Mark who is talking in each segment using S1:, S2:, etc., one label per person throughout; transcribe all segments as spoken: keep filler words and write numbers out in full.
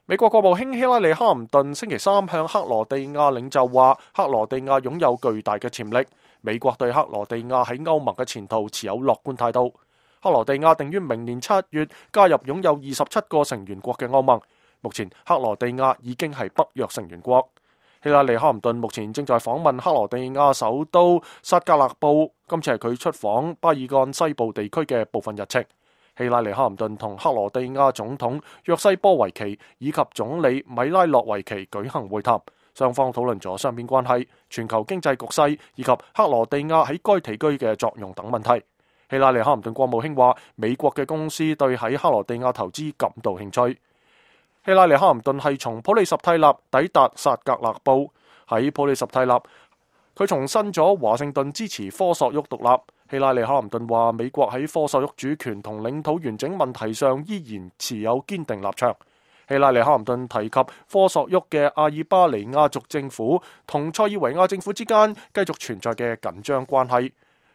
S1: 美國國務卿希拉里·哈林頓星期三向克羅地亞領袖話，克羅地亞擁有巨大嘅潛力。美國對克羅地亞喺歐盟嘅前途持有樂觀態度。克羅地亞定於明年七月加入擁有二十七個成員國嘅歐盟。目前克羅地亞已經係北約成員國。希拉里·哈林頓目前正在訪問克羅地亞首都薩格勒布，今次係佢出訪巴爾幹西部地區嘅部分日程。希拉里·哈林頓同克羅地亞總統約西波維奇以及總理米拉諾維奇舉行會談，雙方討論咗雙邊關係、全球經濟局勢以及克羅地亞喺該地區嘅作用等問題。希拉里·哈林頓國務卿話，美國嘅公司對喺克羅地亞投資感到興趣。希拉里·哈林頓係從普利什蒂納抵達薩格勒布，喺普利什蒂納，佢重申咗華盛頓支持科索沃獨立。希拉里·哈林頓話，美國喺科索沃主權同領土完整問題上依然持有堅定立場。希拉里·哈林頓提及科索沃嘅阿爾巴尼亞族政府同塞爾維亞政府之間繼續存在嘅緊張關係。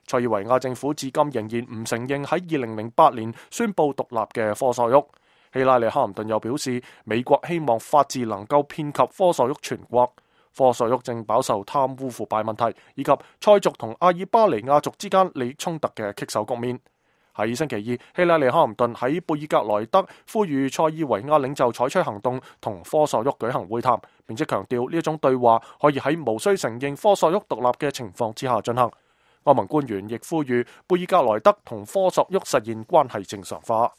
S1: 塞爾維亞政府至今仍然唔承認喺二零零八年宣布獨立嘅科索沃。希拉里·哈林頓又表示，美國希望法治能夠遍及科索沃全國。科索沃正飽受貪污腐敗問題以及塞族同阿爾巴尼亞族之間利益衝突嘅棘手局面。喺星期二，希拉里·哈林頓喺貝爾格萊德呼籲塞爾維亞領袖採取行動，同科索沃舉行會談，並且強調呢一種對話可以喺無需承認科索沃獨立嘅情況之下進行。歐盟官員亦呼籲貝爾格萊德同科索沃實現關係正常化。